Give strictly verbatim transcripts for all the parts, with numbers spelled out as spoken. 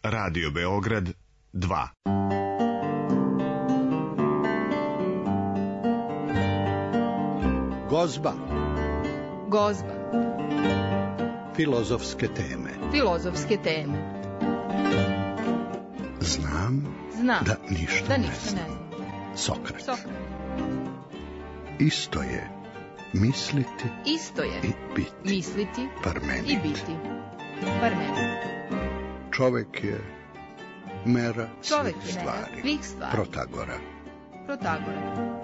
Radio Beograd dva. Gozba. Gozba. Filozofske teme. Filozofske teme. Znam, Znam da ništa, da ne ništa znam. ne znam. Sokrat. Sokrat. Isto je misliti Isto je i biti. misliti Parmenid. i biti. Parmenid. Čovek je mera Čovek svih je mera stvari. svih stvari. Protagora. Protagora.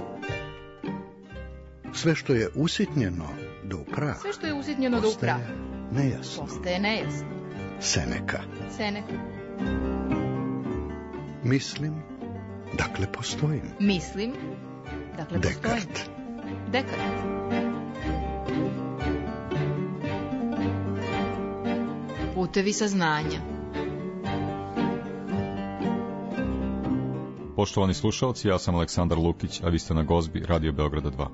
Sve što je usitnjeno do prah Sve što je usitnjeno do postaje praha nejasno. postaje nejasno. Seneka. Seneka. Mislim, dakle postojim. Mislim, dakle postojim. Dekart. Dekart. Putevi saznanja. Poštovani slušalci, ja sam Aleksandar Lukić, a vi ste na Gozbi Radio Beograda dva.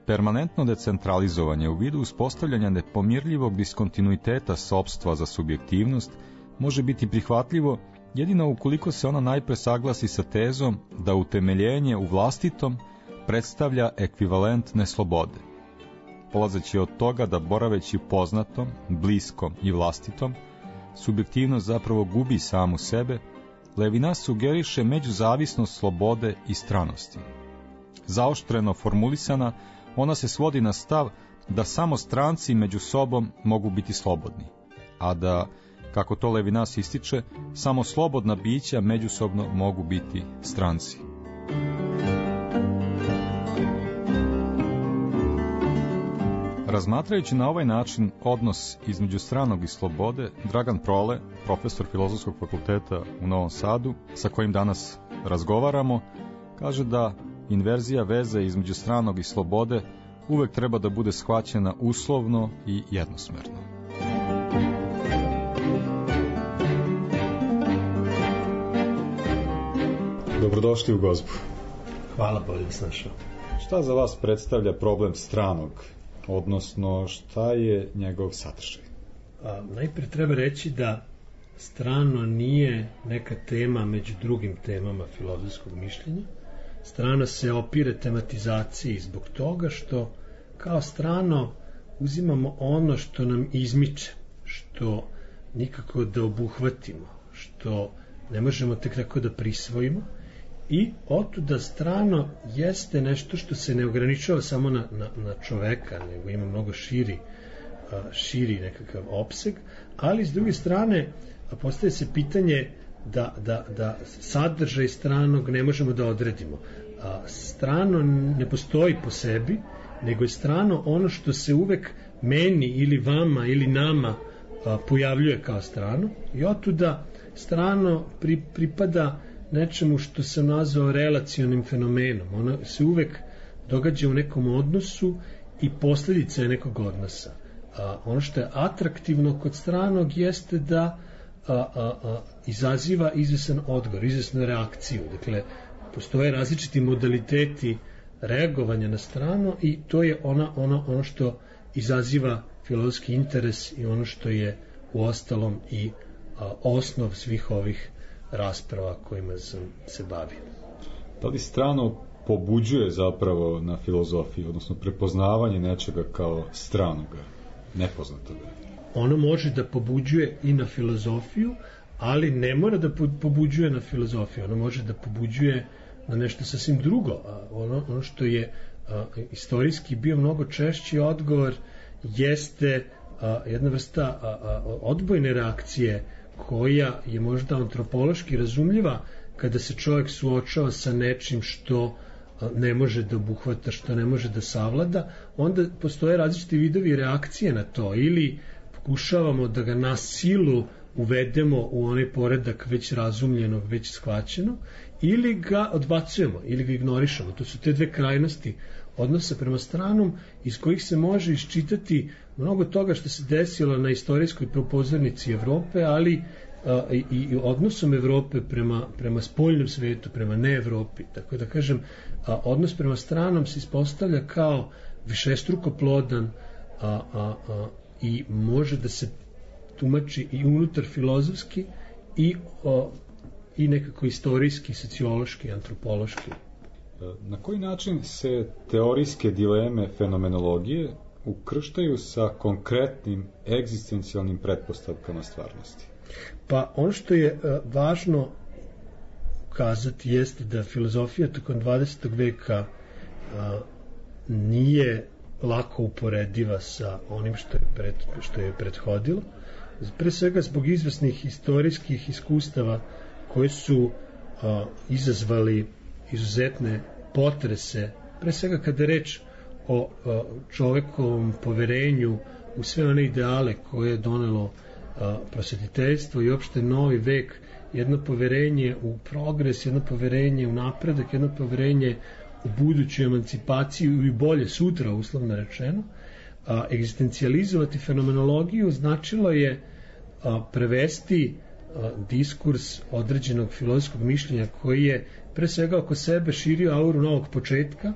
Permanentno decentralizovanje u vidu uspostavljanja nepomirljivog diskontinuiteta sopstva za subjektivnost može biti prihvatljivo jedino ukoliko se ona najpre saglasi sa tezom da utemeljenje u vlastitom predstavlja ekvivalent neslobode. Polazeći od toga da boraveći poznatom, bliskom i vlastitom, subjektivnost zapravo gubi samu sebe, Levinas sugeriše međuzavisnost slobode i stranosti. Zaoštreno formulisana, ona se svodi na stav da samo stranci među sobom mogu biti slobodni, a da, kako to Levinas ističe, samo slobodna bića međusobno mogu biti stranci. Razmatrajući na ovaj način odnos između stranog i slobode, Dragan Prole, profesor Filozofskog fakulteta u Novom Sadu, sa kojim danas razgovaramo, kaže da inverzija veze između stranog i slobode uvek treba da bude shvaćena uslovno i jednosmerno. Dobrodošli u Gozbu. Hvala, bolje vas našao. Šta za vas predstavlja problem stranog, odnosno šta je njegov sadržaj? A, najprije treba reći da strano nije neka tema među drugim temama filozofskog mišljenja. Strano se opire tematizaciji zbog toga što kao strano uzimamo ono što nam izmiče, što nikako da obuhvatimo, što ne možemo tek tako da prisvojimo, i otuda strano jeste nešto što se ne ograničava samo na, na, na čoveka, nego ima mnogo širi, širi nekakav opseg, ali s druge strane postaje se pitanje da, da, da sadržaj stranog ne možemo da odredimo. Strano ne postoji po sebi, nego je strano ono što se uvek meni ili vama ili nama pojavljuje kao strano, i otuda strano pri, pripada nečemu što sam nazvao relacionim fenomenom. Ono se uvek događa u nekom odnosu i posljedica je nekog odnosa. A, ono što je atraktivno kod stranog jeste da a, a, a, izaziva izvesan odgovor, izvesnu reakciju. Dakle, postoje različiti modaliteti reagovanja na strano i to je ona, ono, ono što izaziva filozofski interes i ono što je u ostalom i a, osnov svih ovih rasprava kojima sam se bavio. Da li strano pobuđuje zapravo na filozofiji, odnosno prepoznavanje nečega kao stranoga, nepoznatoga? Ono može da pobuđuje i na filozofiju, ali ne mora da pobuđuje na filozofiju. Ono može da pobuđuje na nešto sasvim drugo. Ono, ono što je a, istorijski bio mnogo češći odgovor jeste a, jedna vrsta a, a, odbojne reakcije koja je možda antropološki razumljiva kada se čovjek suočava sa nečim što ne može da obuhvata, što ne može da savlada, onda postoje različiti vidovi reakcije na to, ili pokušavamo da ga na silu uvedemo u onaj poredak već razumljenog, već shvaćenog, ili ga odbacujemo, ili ga ignorišemo. To su te dve krajnosti odnosa prema stranom, iz kojih se može iščitati mnogo toga što se desilo na istorijskoj propozornici Evrope, ali a, i, i odnosom Evrope prema, prema spoljnom svetu, prema ne Evropi. Tako da kažem, a, odnos prema stranom se ispostavlja kao višestruko plodan a, a, a, i može da se tumači i unutar filozofski i, a, i nekako istorijski, sociološki, antropološki. Na koji način se teorijske dileme fenomenologije ukrštaju sa konkretnim egzistencijalnim pretpostavkama stvarnosti? Pa ono što je uh, važno kazati jeste da filozofija tokom dvadesetog veka uh, nije lako uporediva sa onim što je, pred, što je prethodilo. Pre svega zbog izvesnih istorijskih iskustava koje su uh, izazvali izuzetne potrese, pre svega kada je reč o uh, čovekovom poverenju u sve one ideale koje je donelo uh, prosvetiteljstvo i opšte novi vek, jedno poverenje u progres, jedno poverenje u napredak, jedno poverenje u buduću emancipaciju i bolje sutra, uslovno rečeno. A, egzistencijalizovati fenomenologiju značilo je a, prevesti a, diskurs određenog filozofskog mišljenja koji je pre svega oko sebe širio auru novog početka,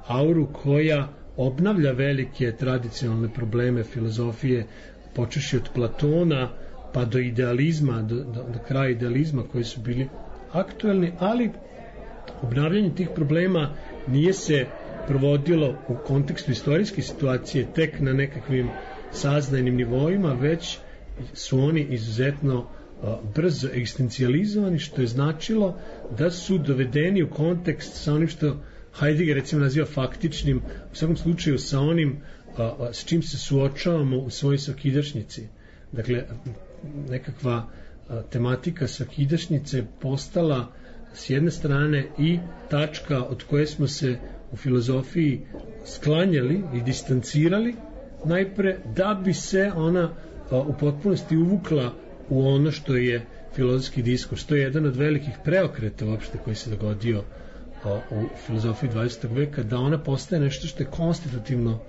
auru koja obnavlja velike tradicionalne probleme filozofije, počeši od Platona pa do idealizma, do, do, do kraja idealizma koji su bili aktuelni, ali obnavljanje tih problema nije se provodilo u kontekstu istorijske situacije tek na nekakvim saznajnim nivoima, već su oni izuzetno a, brzo egzistencijalizovani, što je značilo da su dovedeni u kontekst sa onim što Heidegger recimo naziva faktičnim, u svakom slučaju sa onim a, a, s čim se suočavamo u svojoj svakidašnjici. Dakle, nekakva a, tematika svakidašnjice postala s jedne strane i tačka od koje smo se u filozofiji sklanjali i distancirali najpre da bi se ona a, u potpunosti uvukla u ono što je filozofski diskurs. To je jedan od velikih preokreta uopšte koji se dogodio a, u filozofiji dvadesetog veka, da ona postaje nešto što je konstitutivno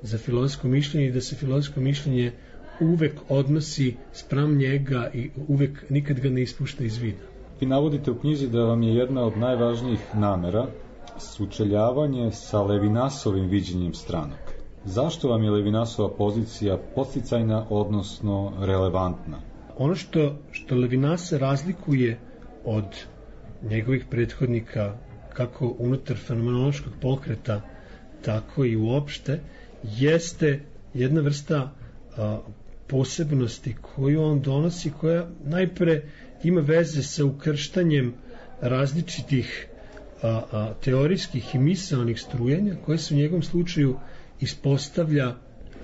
za filozofsko mišljenje i da se filozofsko mišljenje uvek odnosi spram njega i uvek nikad ga ne ispušta iz vida. Vi navodite u knjizi da vam je jedna od najvažnijih namera sučeljavanje sa Levinasovim viđenjem stranog. Zašto vam je Levinasova pozicija podsticajna, odnosno relevantna? Ono što, što Levinasa razlikuje od njegovih prethodnika, kako unutar fenomenološkog pokreta, tako i uopšte, jeste jedna vrsta a, posebnosti koju on donosi, koja najpre ima veze sa ukrštanjem različitih a, a, teorijskih i misaonih strujenja, koje se u njegovom slučaju ispostavlja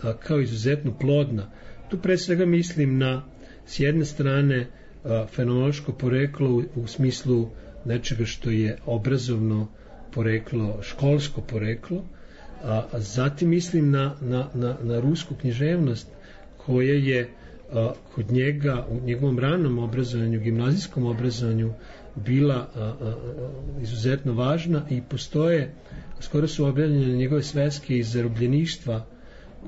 a, kao izuzetno plodna. Tu pre svega mislim na, s jedne strane, a, fenomenološko poreklo u, u smislu nečega što je obrazovno poreklo, školsko poreklo, a, a zatim mislim na, na, na, na rusku književnost koja je a, kod njega u njegovom ranom obrazovanju, gimnazijskom obrazovanju bila a, a, izuzetno važna i postoje, skoro su objavljene njegove sveske iz zarobljeništva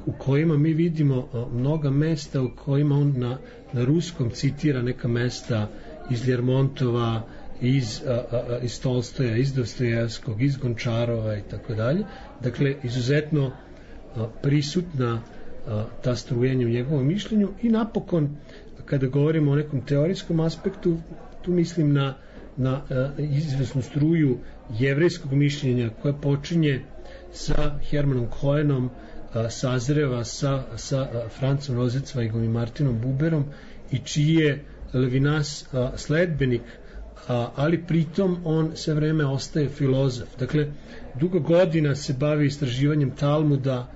u kojima mi vidimo a, mnoga mesta u kojima on na, na ruskom citira neka mesta iz Ljermontova, iz, a, a, iz Tolstoja, iz Dostojevskog, iz Gončarova i tako dalje. Dakle, izuzetno a, prisutna a, ta strujenja u njegovom mišljenju i napokon, kada govorimo o nekom teorijskom aspektu, tu mislim na, na a, izvesnu struju jevrejskog mišljenja koja počinje sa Hermanom Koenom, a, sazreva sa, sa a, Francom Rozecvajgom i Martinom Buberom i čiji je Levinas a, sledbenik, a, ali pritom on sve vreme ostaje filozof. Dakle, dugo godina se bavi istraživanjem Talmuda,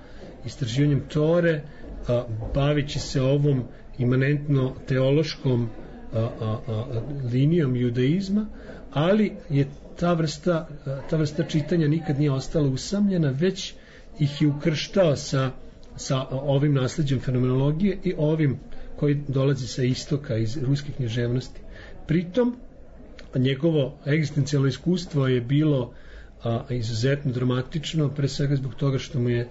istraživanjem Tore, a, bavići se ovom imanentno teološkom a, a, a, linijom judaizma, ali je ta vrsta, a, ta vrsta čitanja nikad nije ostala usamljena, već ih je ukrštao sa, sa ovim nasleđem fenomenologije i ovim koji dolazi sa istoka, iz ruske književnosti. Pritom, njegovo egzistencijalno iskustvo je bilo a, izuzetno dramatično, pre svega zbog toga što mu je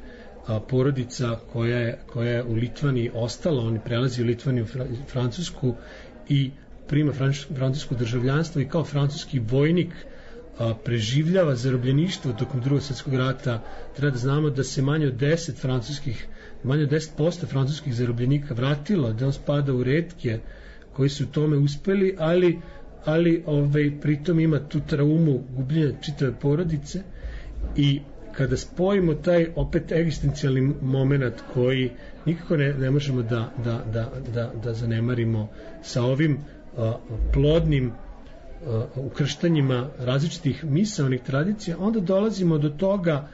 a, porodica koja je, koja je u Litvaniji ostala, on prelazi u Litvaniju, Francusku i prima francusko državljanstvo i kao francuski vojnik a, preživljava zarobljeništvo tokom drugog svjetskog rata. Treba da znamo da se manje od deset francuskih manje od deset posto francuskih zarobljenika vratilo, da on spada u retke koji su u tome uspeli, ali, ali ovaj, pritom ima tu traumu gubljenja čitave porodice. I kada spojimo taj opet egzistencijalni moment koji nikako ne, ne možemo da, da, da, da, da zanemarimo sa ovim a, plodnim a, ukrštanjima različitih misaonih tradicija, onda dolazimo do toga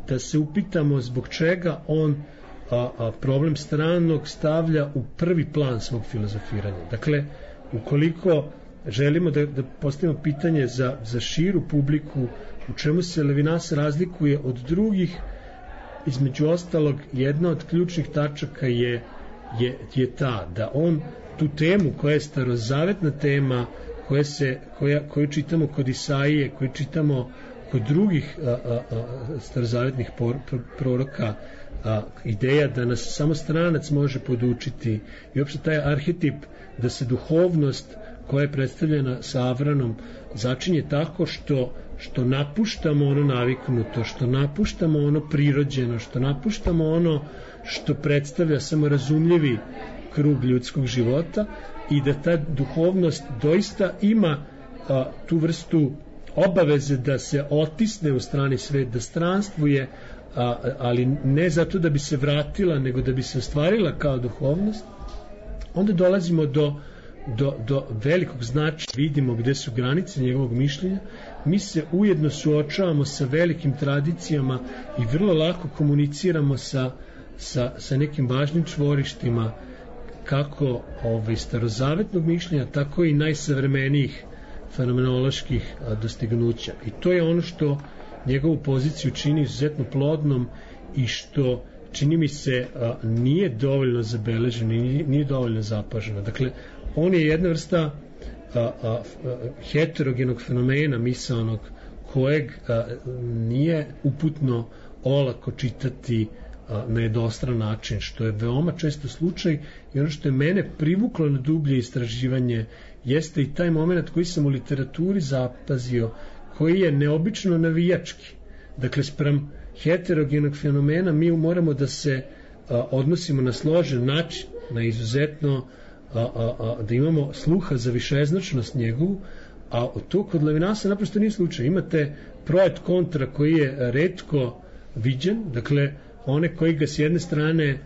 da se upitamo zbog čega on a, a, problem stranog stavlja u prvi plan svog filozofiranja. Dakle, ukoliko želimo da, da postavimo pitanje za, za širu publiku, u čemu se Levinas razlikuje od drugih, između ostalog, jedna od ključnih tačaka je, je, je ta da on tu temu koja je starozavetna tema, koja se, koja, koju čitamo kod Isaije, koju čitamo kod drugih a, a, a, starozavetnih por, pro, proroka, a, ideja da nas samo stranac može podučiti i uopšte taj arhetip da se duhovnost koja je predstavljena sa Avranom začinje tako što što napuštamo ono naviknuto, što napuštamo ono prirođeno, što napuštamo ono što predstavlja samorazumljivi krug ljudskog života i da ta duhovnost doista ima a, tu vrstu obaveze da se otisne u strani svet, da stranstvuje, a, ali ne zato da bi se vratila, nego da bi se ostvarila kao duhovnost, onda dolazimo do Do, do velikog značaja, vidimo gde su granice njegovog mišljenja, mi se ujedno suočavamo sa velikim tradicijama i vrlo lako komuniciramo sa, sa, sa nekim važnim čvorištima kako ovaj, starozavetnog mišljenja, tako i najsavremenijih fenomenoloških a, dostignuća. I to je ono što njegovu poziciju čini izuzetno plodnom i što čini mi se a, nije dovoljno zabeleženo i nije, nije dovoljno zapaženo. Dakle, on je jedna vrsta a, a, a, heterogenog fenomena misaonog kojeg a, nije uputno olako čitati a, na jednostran način, što je veoma često slučaj i ono što je mene privuklo na dublje istraživanje jeste i taj moment koji sam u literaturi zapazio, koji je neobično navijački. Dakle, sprem heterogenog fenomena mi moramo da se a, odnosimo na složen način, na izuzetno A, a, a, da imamo sluha za višeznačnost njegovu, a to kod Levinasa naprosto nije slučaj. Imate projekt kontra koji je retko viđen, dakle one koji ga s jedne strane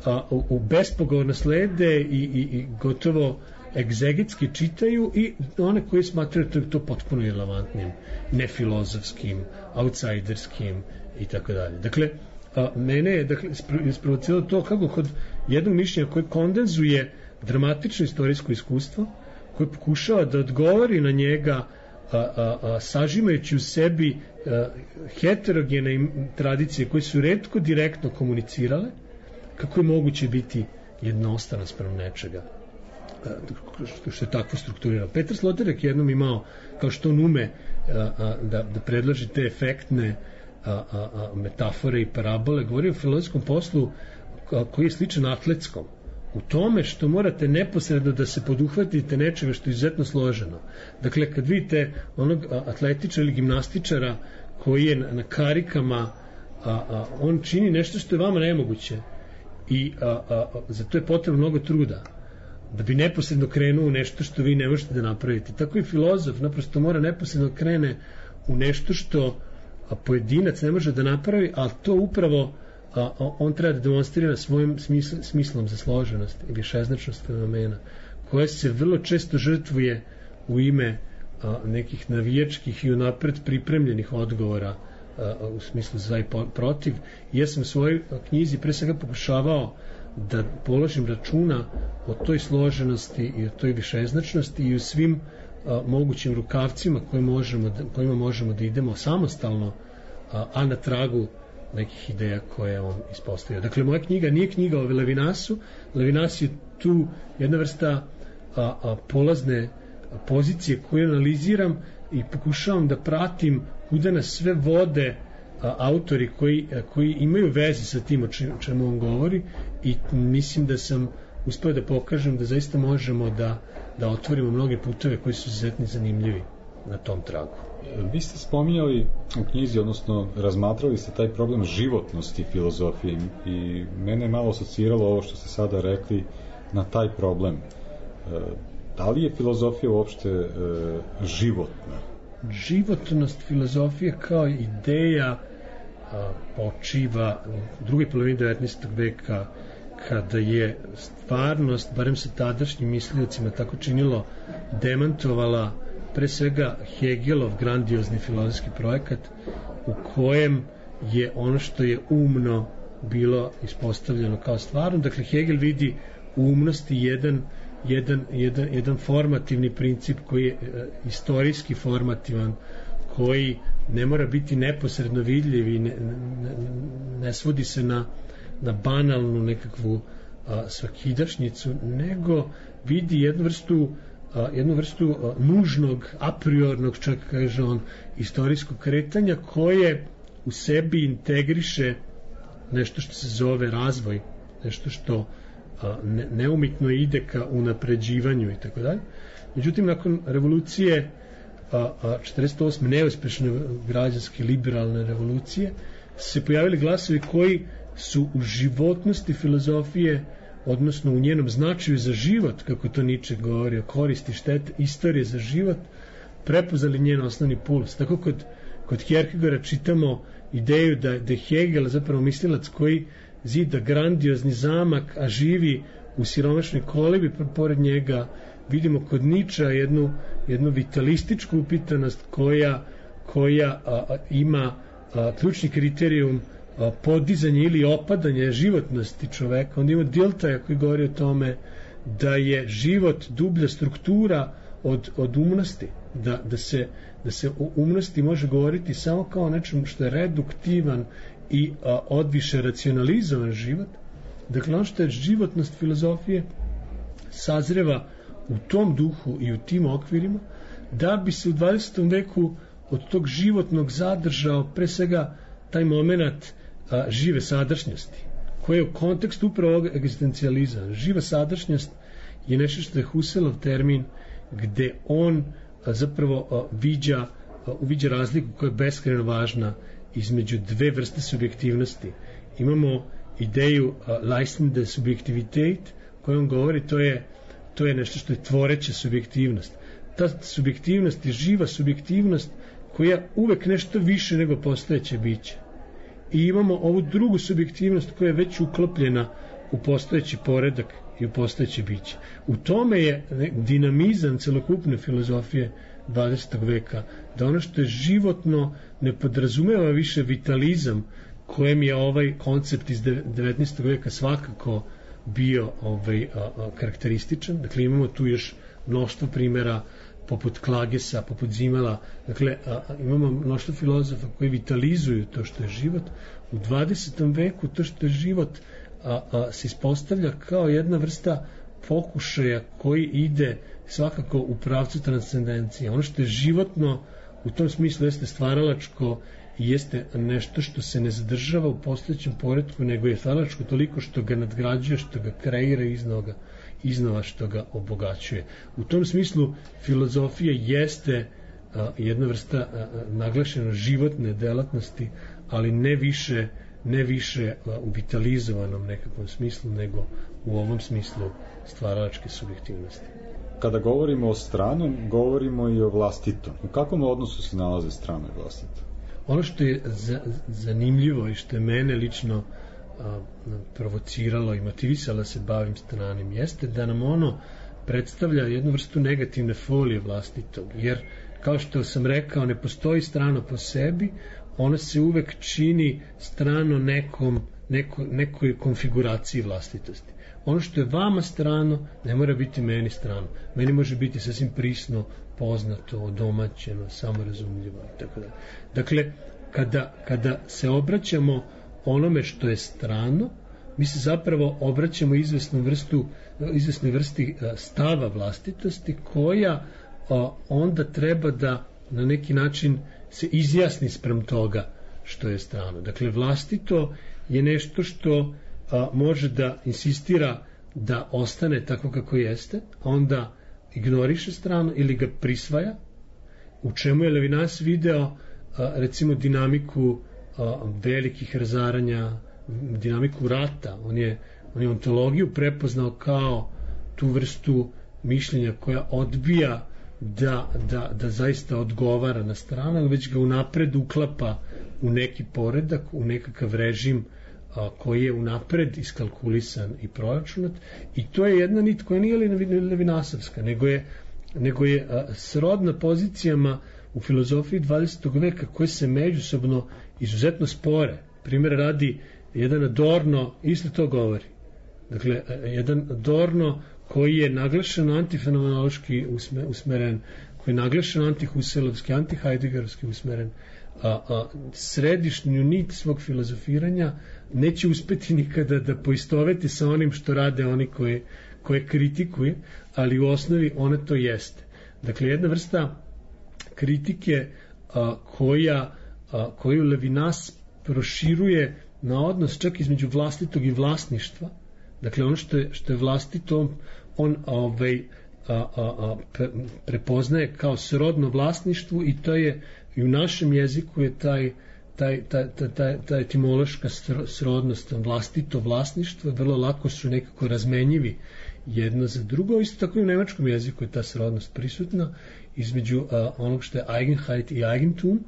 a, u, u bespogovorno slede i, i, i gotovo egzegetski čitaju i one koji smatraju to, to potpuno irelevantnim, nefilozofskim, outsiderskim i tako dalje. Dakle, a, mene je dakle, isprovociralo to kako kod jednog mišljenja koje kondenzuje dramatično istorijsko iskustvo, koje pokušava da odgovori na njega a, a, a, sažimajući u sebi a, heterogene tradicije koje su retko direktno komunicirale, kako je moguće biti jednostrano sprem nečega a, što, što je takvo strukturirano. Petar Sloterdijk je jednom imao, kao što on ume a, a, da, da predlaži te efektne a, a, a, metafore i parabole, govori o filozofskom poslu a, koji je sličan atletskom, u tome što morate neposredno da se poduhvatite nečega što je izuzetno složeno. Dakle, kad vidite onog atletičara ili gimnastičara koji je na, na karikama, a, a, on čini nešto što je vama nemoguće i a, a, a, zato je potrebno mnogo truda da bi neposredno krenuo u nešto što vi ne možete da napravite. Tako i filozof naprosto mora neposredno krene u nešto što a, pojedinac ne može da napravi, ali to upravo a on treba da demonstrira svojim smisl, smislom za složenost i višeznačnost fenomena, koja se vrlo često žrtvuje u ime a, nekih navijačkih i unapred pripremljenih odgovora a, u smislu za i protiv. I ja sam u svojoj knjizi pre svega pokušavao da položim računa o toj složenosti i o toj višeznačnosti i u svim a, mogućim rukavcima koje možemo da, kojima možemo da idemo samostalno, a, a na tragu nekih ideja koje on ispostavio. Dakle, moja knjiga nije knjiga o Levinasu. Levinas je tu jedna vrsta a, a, polazne pozicije koju analiziram i pokušavam da pratim kuda nas sve vode a, autori koji, a, koji imaju veze sa tim o čemu on govori i mislim da sam uspeo da pokažem da zaista možemo da da otvorimo mnoge puteve koji su izuzetno zanimljivi na tom tragu. Vi ste spominjali u knjizi, odnosno razmatrali ste taj problem životnosti filozofije i mene je malo asociralo ovo što ste sada rekli na taj problem. Da li je filozofija uopšte e, životna? Životnost filozofije kao ideja a, počiva u drugoj polovini devetnaestog veka, kada je stvarnost, barem sa tadašnjim misliocima tako činilo, demantovala pre svega Hegelov grandiozni filozofski projekat, u kojem je ono što je umno bilo ispostavljeno kao stvarno. Dakle, Hegel vidi u umnosti jedan, jedan, jedan, jedan formativni princip koji je e, istorijski formativan, koji ne mora biti neposredno vidljiv i ne, ne, ne svodi se na, na banalnu nekakvu a, svakidašnjicu, nego vidi jednu vrstu a, jednu vrstu a, nužnog, a priornog, čak kaže on, istorijskog kretanja koje u sebi integriše nešto što se zove razvoj, nešto što a, ne, neumitno ide ka unapređivanju i tako dalje. Međutim, nakon revolucije a, a, četrdeset osme neuspešne građanske liberalne revolucije se pojavili glasovi koji su u životnosti filozofije, odnosno u njenom značaju za život, kako to Nietzsche govori o koristi, štete, istorije za život, prepoznali njen osnovni puls. Tako kod, kod Kierkegaarda čitamo ideju da, da je Hegel zapravo mislilac koji zida grandiozni zamak, a živi u siromašnoj kolibi pored njega. Vidimo kod Nietzschea jednu, jednu vitalističku upitanost koja, koja a, a, ima a, ključni kriterijum a, podizanje ili opadanje životnosti čoveka. Onda ima Diltaja koji govori o tome da je život dublja struktura od, od umnosti, da, da, se, da se o umnosti može govoriti samo kao nečem što je reduktivan i a, odviše racionalizovan život. Dakle, ono što je životnost filozofije sazreva u tom duhu i u tim okvirima, da bi se u dvadesetom veku od tog životnog zadržao pre svega taj moment a, žive sadašnjosti, koji je u kontekstu upravo ovog egzistencijalizma. Živa sadašnjost je nešto što je Husserlov termin, gde on a, zapravo a, viđa, a, uviđa razliku koja je beskrajno važna između dve vrste subjektivnosti. Imamo ideju leistende subjektivitet, koju on govori, to je to je nešto što je tvoreća subjektivnost. Ta subjektivnost je živa subjektivnost koja uvek nešto više nego postojeće biće. I imamo ovu drugu subjektivnost koja je već uklopljena u postojeći poredak i u postojeće biće. U tome je dinamizam celokupne filozofije dvadesetog veka, da ono što je životno ne podrazumeva više vitalizam kojem je ovaj koncept iz devetnaestog veka svakako bio ovaj, a, a, karakterističan. Dakle, imamo tu još mnoštvo primjera poput Klagesa, poput Zimela. Dakle, a, a, imamo mnoštvo filozofa koji vitalizuju to što je život. U dvadesetom veku to što je život a, a, se ispostavlja kao jedna vrsta pokušaja koji ide svakako u pravcu transcendencije. Ono što je životno u tom smislu jeste stvaralačko i jeste nešto što se ne zadržava u postojećem poretku, nego je stvaralačko toliko što ga nadgrađuje, što ga kreira iznova, iznova što ga obogaćuje. U tom smislu filozofija jeste a, jedna vrsta a, naglašeno životne delatnosti, ali ne više, ne više a, u vitalizovanom nekakvom smislu, nego u ovom smislu stvaralačke subjektivnosti. Kada govorimo o stranom, govorimo i o vlastitom. U kakvom odnosu se nalaze strano i vlastito? Ono što je za, zanimljivo i što je mene lično a, provociralo i motivisalo se bavim stranim jeste da nam ono predstavlja jednu vrstu negativne folije vlastitog, jer kao što sam rekao, ne postoji strano po sebi, ono se uvek čini strano nekom, neko, nekoj konfiguraciji vlastitosti. Ono što je vama strano ne mora biti meni strano. Meni može biti sasvim prisno, poznato, odomaćeno, samorazumljivo i tako dalje. Dakle, kada, kada se obraćamo onome što je strano, mi se zapravo obraćamo izvesnu vrstu, izvesnoj vrsti stava vlastitosti koja a, onda treba da na neki način se izjasni sprem toga što je strano. Dakle, vlastito je nešto što a, može da insistira da ostane tako kako jeste, onda ignoriše stranu ili ga prisvaja, u čemu je Levinas video recimo dinamiku velikih razaranja, dinamiku rata. On je, on je ontologiju prepoznao kao tu vrstu mišljenja koja odbija da, da, da zaista odgovara na stranu, već ga unapred uklapa u neki poredak, u nekakav režim a, koji je unapred iskalkulisan i proračunat, i to je jedna nit koja nije levinasovska, nego je, nego je a, srodna pozicijama u filozofiji dvadesetog veka koje se međusobno izuzetno spore. Primjer radi, jedan Adorno isto to govori. Dakle, jedan Adorno koji je naglašeno antifenomenološki usmeren, koji je naglašeno antihuselovski, antihajdegerovski usmeren, a, a središnju nit svog filozofiranja neće uspeti nikada da poistoveti sa onim što rade oni koje, koje kritikuje, ali u osnovi ona to jeste. Dakle, jedna vrsta kritike a, koja, a, koju Levinas proširuje na odnos čak između vlastitog i vlasništva. Dakle, ono što je, što je vlastito, on ovaj, a, a, a, prepoznaje kao srodno vlasništvu, i to je i u našem jeziku je taj, taj, taj, taj, taj etimološka srodnost, vlastito vlasništvo, vrlo lako su nekako razmenjivi jedno za drugo. Isto tako i u nemačkom jeziku je ta srodnost prisutna između a, onog što je Eigenheit i Eigentum,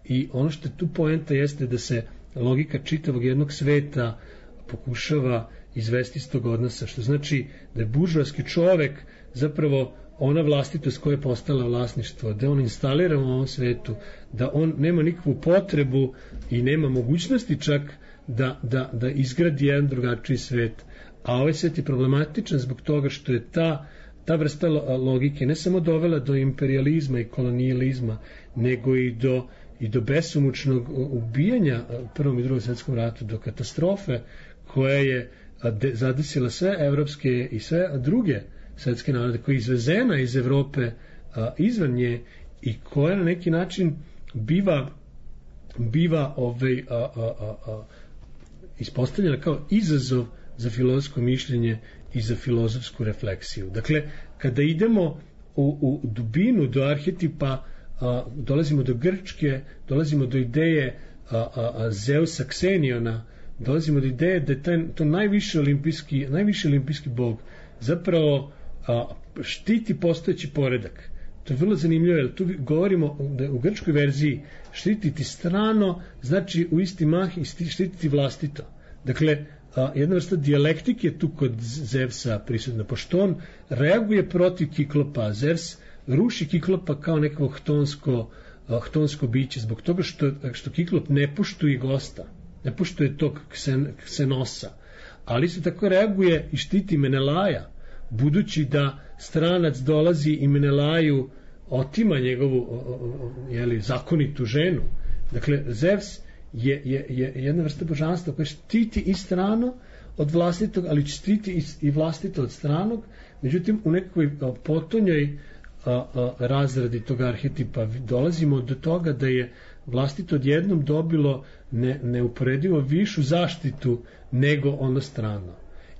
i ono što je tu poenta jeste da se logika čitavog jednog sveta pokušava izvesti iz tog odnosa, što znači da je buržoaski čovek zapravo ona vlastitost koja je postala vlasništvo, da on instalira u ovom svetu, da on nema nikakvu potrebu i nema mogućnosti čak da, da, da izgradi jedan drugačiji svet. A ovaj svet je problematičan zbog toga što je ta, ta vrsta logike ne samo dovela do imperializma i kolonijalizma, nego i do, i do besomučnog ubijanja u Prvom i Drugom svetskom ratu, do katastrofe koja je zadesila sve evropske i sve druge svetske narode, koja je izvezena iz Evrope a, izvan nje, i koja na neki način biva biva ovaj, a, a, a, a, ispostavljena kao izazov za filozofsko mišljenje i za filozofsku refleksiju. Dakle, kada idemo u, u dubinu do arhetipa, a, dolazimo do Grčke, dolazimo do ideje a, a, a Zeusa Kseniona, dolazimo do ideje da je taj, to najviši olimpijski, najviši olimpijski bog zapravo a, štiti postojeći poredak. To je vrlo zanimljivo, jer tu govorimo da u grčkoj verziji štititi strano znači u isti mah i štititi vlastito. Dakle, a, jedna vrsta dijalektike je tu kod Zevsa prisutna, pošto on reaguje protiv Kiklopa. Zevs ruši Kiklopa kao nekako htonsko, a, htonsko biće, zbog toga što, što Kiklop ne poštuje gosta, ne poštuje tog ksen, ksenosa, ali se tako reaguje i štiti Menelaja, budući da stranac dolazi i Menelaju otima njegovu jeli, zakonitu ženu. Dakle, Zevs je, je, je jedna vrsta božanstva koja štiti i strano od vlastitog, ali štiti i, i vlastito od stranog. Međutim, u nekakvoj potonjoj a, a, razradi tog arhetipa dolazimo do toga da je vlastito odjednom dobilo ne, neuporedivo višu zaštitu nego ono strano.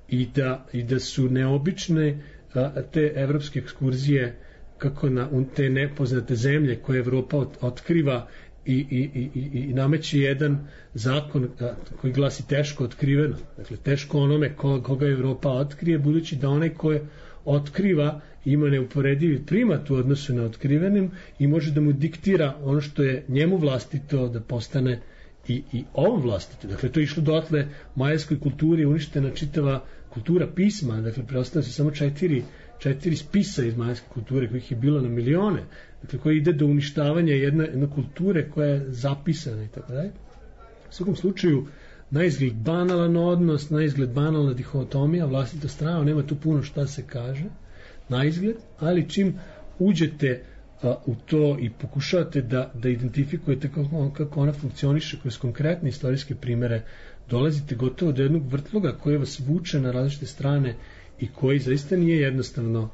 I da, i da su neobične a, te evropske ekskurzije kako na te nepoznate zemlje koje Evropa ot, otkriva i, i, i, i nameće jedan zakon a, koji glasi teško otkriveno. Dakle, teško onome ko, koga Evropa otkrije, budući da onaj koje otkriva ima neuporedivi primat u odnosu na otkrivenim i može da mu diktira ono što je njemu vlastito da postane i, i ovom vlastito. Dakle, to je išlo dotle majskoj kulturi, uništena čitava kultura pisma, dakle, preostane se samo četiri, četiri spisa iz majske kulture, kojih je bilo na milione, dakle, koji ide do uništavanja jedne, jedne kulture koja je zapisana i tako dalje. U svakom slučaju, na izgled banalan odnos, na izgled banalna dihotomija, vlastito strano, nema tu puno šta se kaže, na izgled, ali čim uđete a, u to i pokušavate da, da identifikujete kako, kako ona funkcioniše kroz konkretne istorijske primere, dolazite gotovo do jednog vrtloga koji vas vuče na različite strane i koji zaista nije jednostavno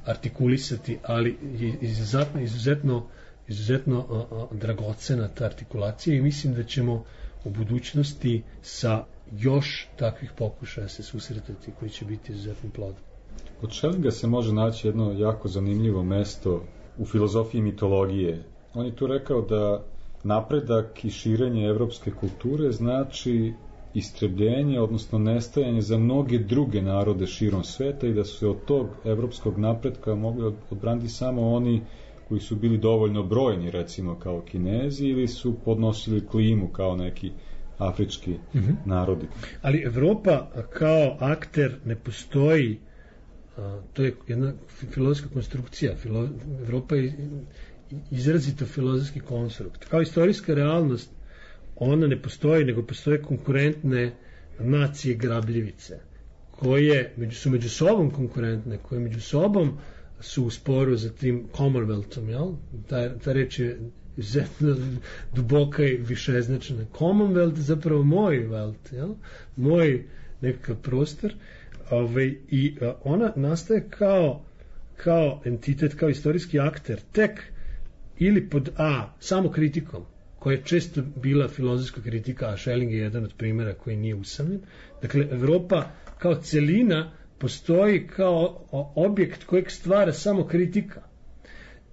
artikulisati, ali je izuzetno, izuzetno, izuzetno a, a, dragocena ta artikulacija, i mislim da ćemo u budućnosti sa još takvih pokušaja se susretati koji će biti izuzetno plodni. Kod Schellinga se može naći jedno jako zanimljivo mesto u filozofiji mitologije. On je tu rekao da napredak i širenje evropske kulture znači istrebljenje, odnosno nestajanje za mnoge druge narode širom sveta i da su se od tog evropskog napretka mogli odbraniti samo oni koji su bili dovoljno brojni, recimo kao Kinezi, ili su podnosili klimu kao neki afrički mm-hmm. narodi. Ali Evropa kao akter ne postoji, a, to je jedna filozofska konstrukcija. Filo, Evropa je izrazito filozofski konstrukt. Kao istorijska realnost ona ne postoji, nego postoje konkurentne nacije grabljivice, koje među, su među sobom konkurentne, koje među sobom su u sporu za tim Commonwealthom, jel? Ta, ta reč je izuzetno duboka i višeznačna. Commonwealth je zapravo moj wealth, jel? Moj nekakav prostor, ovaj, i a, ona nastaje kao, kao entitet, kao istorijski akter, tek ili pod A, samo kritikom, koja je često bila filozofska kritika, a Schelling je jedan od primjera koji nije usamljen. Dakle, Evropa kao celina postoji kao objekt kojeg stvara samo kritika.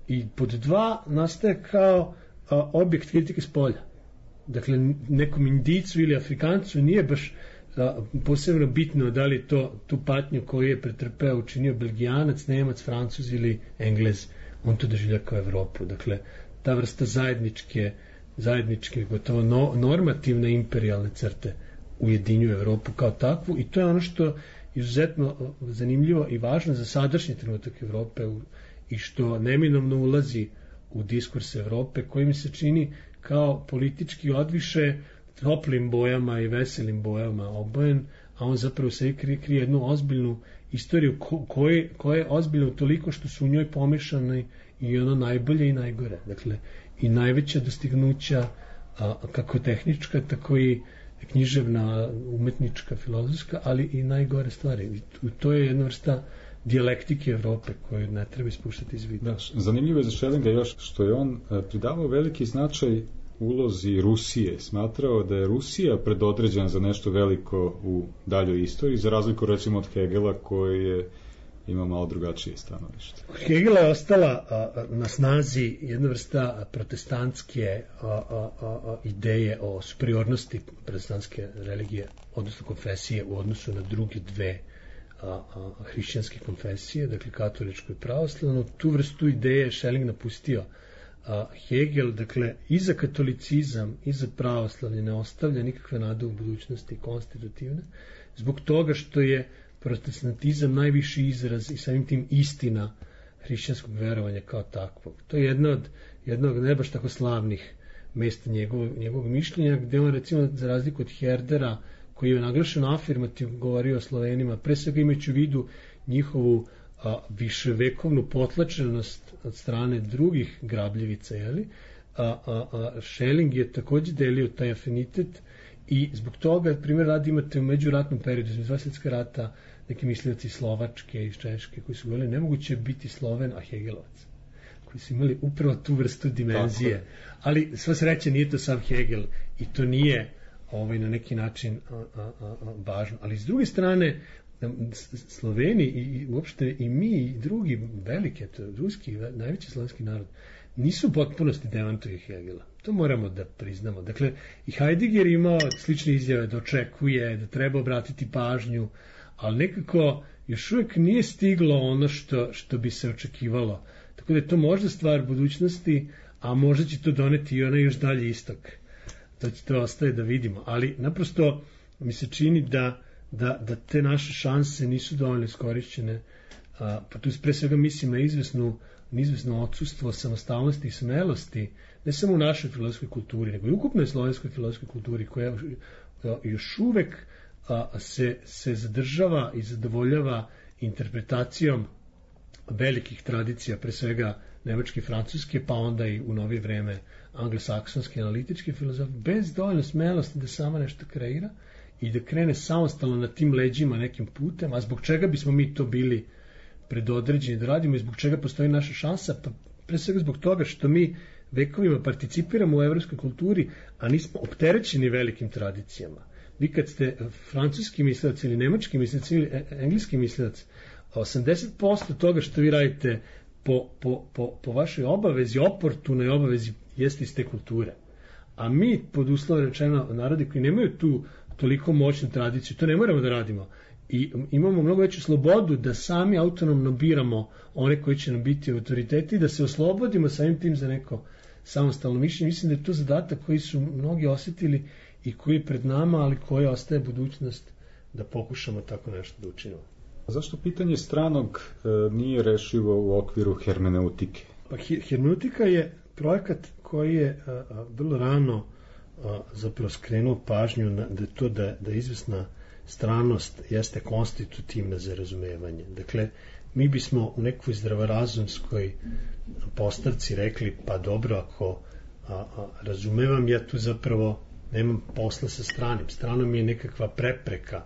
I pod dva nastaje kao a, objekt kritike s polja. Dakle, nekom Indicu ili Afrikancu nije baš a, posebno bitno da li to tu patnju koju je pretrpeo učinio Belgijanac, Nemac, Francuz ili Englez. On to doživlja kao Evropu. Dakle, ta vrsta zajedničke zajedničke, gotovo no, normativne imperijalne crte ujedinjuju Evropu kao takvu i to je ono što je izuzetno zanimljivo i važno za sadašnji trenutak Evrope i što neminovno ulazi u diskurs Evrope koji mi se čini kao politički odviše toplim bojama i veselim bojama obojen, a on zapravo se krije, krije jednu ozbiljnu istoriju ko, koje, koja je ozbiljna toliko što su u njoj pomešane i ono najbolje i najgore. Dakle, i najveća dostignuća a, kako tehnička, tako i književna, umetnička, filozofska, ali i najgore stvari. I to je jedna vrsta dijalektike Evrope koju ne treba ispuštati iz vida. Da, zanimljivo je za Schellinga još što je on pridavao veliki značaj ulozi Rusije. Smatrao da je Rusija predodređena za nešto veliko u daljoj istoriji, za razliku recimo od Hegela koji je ima malo drugačije stanovište. Hegela je ostala a, na snazi jedna vrsta protestantske a, a, a, ideje o superiornosti protestantske religije, odnosno konfesije u odnosu na druge dve a, a, hrišćanske konfesije, dakle katoličko i pravoslavno. Tu vrstu ideje je Schelling napustio. A, Hegel, dakle, i za katolicizam i za pravoslavlje ne ostavlja nikakve nade u budućnosti konstitutivne, zbog toga što je protestantizam najviši izraz i samim tim istina hrišćanskog verovanja kao takvog. To je jedna od jednog ne baš tako slavnih mesta njegovog, njegovog mišljenja, gde on recimo za razliku od Herdera, koji je naglašeno afirmativno govorio o Slovenima, pre svega imajući u vidu njihovu a, viševekovnu potlačenost od strane drugih grabljivica, jeli? A, a, a Schelling je takođe delio taj afinitet i zbog toga, primjer radi, imate u međuratnom periodu, između dva svjetska rata, neki mislioci Slovačke i Češke koji su govorili nemoguće biti Sloven, a Hegelovac, koji su imali upravo tu vrstu dimenzije. Tako. Ali sva sreća nije to sam Hegel i to nije ovaj, na neki način a, a, a, važno. Ali s druge strane, Sloveni i, i uopšte i mi i drugi veliki, to ruski, najveći slovenski narod, nisu u potpunosti demantovi Hegela. To moramo da priznamo. Dakle, i Heidegger imao slične izjave da očekuje, da treba obratiti pažnju, ali nekako još uvijek nije stiglo ono što, što bi se očekivalo. Tako da je to možda stvar budućnosti, a možda će to doneti i onaj još dalje istok. To će to ostaje da vidimo. Ali naprosto mi se čini da, da, da te naše šanse nisu dovoljno iskorišćene. A, pa tu pre svega mislim na izvesnu izvesno odsustvo samostalnosti i smelosti, ne samo u našoj filozofskoj kulturi, nego i ukupnoj slovenskoj filozofskoj kulturi, koja još uvek a, se, se zadržava i zadovoljava interpretacijom velikih tradicija, pre svega nemačke i francuske, pa onda i u novije vreme anglosaksonske analitičke filozofije, bez dovoljno smelosti da sama nešto kreira i da krene samostalno na tim leđima nekim putem, a zbog čega bismo mi to bili predodređeni da radimo i zbog čega postoji naša šansa, pa pre svega zbog toga što mi vekovima participiramo u evropskoj kulturi, a nismo opterećeni velikim tradicijama. Vi kad ste francuski mislilac ili nemački mislilac ili engleski mislilac, A osamdeset posto toga što vi radite po, po, po, po vašoj obavezi, oportunoj obavezi, jeste iz te kulture. A mi, pod uslovom rečeno, narodi koji nemaju tu toliko moćnu tradiciju, to ne moramo da radimo. I imamo mnogo veću slobodu da sami autonomno biramo one koji će nam biti autoriteti i da se oslobodimo samim tim za neko samostalno mišljenje. Mislim da je to zadatak koji su mnogi osjetili i koji je pred nama, ali koji ostaje budućnost da pokušamo tako nešto da učinimo. Zašto pitanje stranog e, nije rešivo u okviru hermeneutike? Pa hermeneutika je projekat koji je a, a, vrlo rano a, zapravo skrenuo pažnju na, da to da, da izvesna stranost jeste konstitutivna za razumevanje. Dakle, mi bismo u nekoj zdravorazumskoj postavci rekli, pa dobro, ako a, a, razumevam, ja tu zapravo nemam posla sa stranim. Strano mi je nekakva prepreka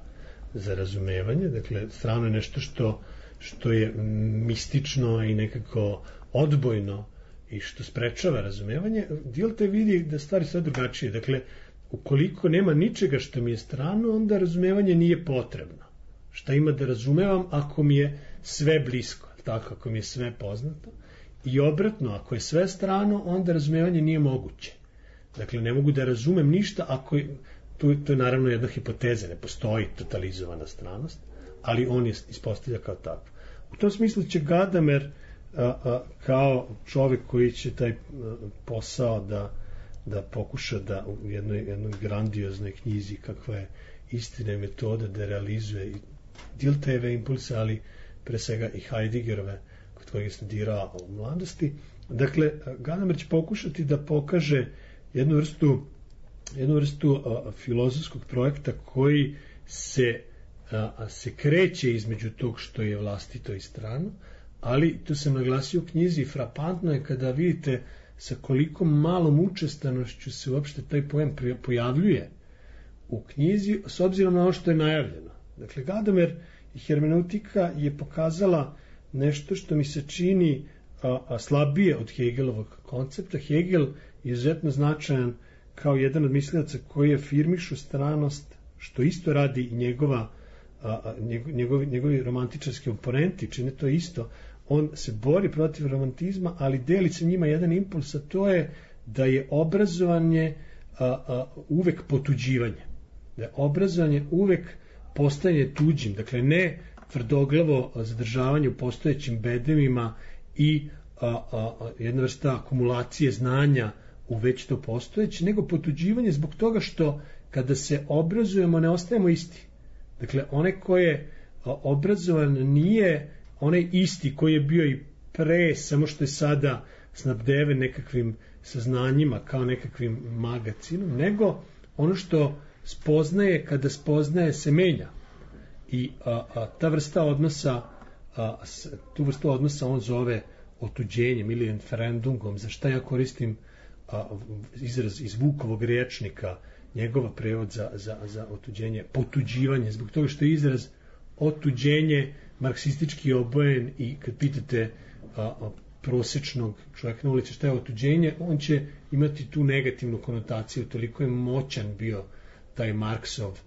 za razumevanje, dakle, strano je nešto što, što je mistično i nekako odbojno i što sprečava razumevanje. Dijelte vidi da stvari sve drugačije. Dakle, ukoliko nema ničega što mi je strano, onda razumevanje nije potrebno. Šta ima da razumevam ako mi je sve blisko, tako, ako mi je sve poznato. I obratno, ako je sve strano, onda razumevanje nije moguće. Dakle, ne mogu da razumem ništa ako je, to, to je naravno jedna hipoteza, ne postoji totalizovana stranost, ali on je ispostavlja kao tako. U tom smislu će Gadamer a, a, kao čovjek koji će taj a, posao da da pokuša da u jednoj, jednoj grandioznoj knjizi kakva je Istina i metoda da realizuje i Diltheyeve impulse, ali pre svega i Heideggerove kod kojeg je studirao u mladosti. Dakle, Gadamer će pokušati da pokaže jednu vrstu jednu vrstu a, filozofskog projekta koji se, a, se kreće između tog što je vlastito i strano, ali to sam naglasio u knjizi, frapantno je kada vidite sa koliko malom učestanošću se uopšte taj pojem pojavljuje u knjizi, s obzirom na ono što je najavljeno. Dakle, Gadamer i hermeneutika je pokazala nešto što mi se čini a, a slabije od Hegelovog koncepta. Hegel je izuzetno značajan kao jedan od mislilaca koji afirmišu stranost, što isto radi i njegova, a, a, njegovi, njegovi romantičarski oponenti, čine to isto. On se bori protiv romantizma, ali deli se njima jedan impuls, a to je da je obrazovanje a, a, uvek potuđivanje. Da je obrazovanje uvek postajanje tuđim, dakle ne tvrdoglavo zadržavanje u postojećim bedemima i a, a, a, jedna vrsta akumulacije znanja u već to postojeće, nego potuđivanje zbog toga što kada se obrazujemo ne ostajemo isti. Dakle, onaj ko je obrazovan nije onaj isti koji je bio i pre, samo što je sada snabdeven nekakvim saznanjima kao nekakvim magacinom, nego ono što spoznaje, kada spoznaje se menja. I a, a, ta vrsta odnosa, a, s, tu vrstu odnosa on zove otuđenjem ili entfremdungom, za šta ja koristim a, izraz iz Vukovog rječnika, njegova prevod za, za, za otuđenje, potuđivanje, zbog toga što je izraz otuđenje marksistički obojen i kad pitate a, a, prosječnog čovjeka na ulici šta je otuđenje, on će imati tu negativnu konotaciju, toliko je moćan bio taj Marksov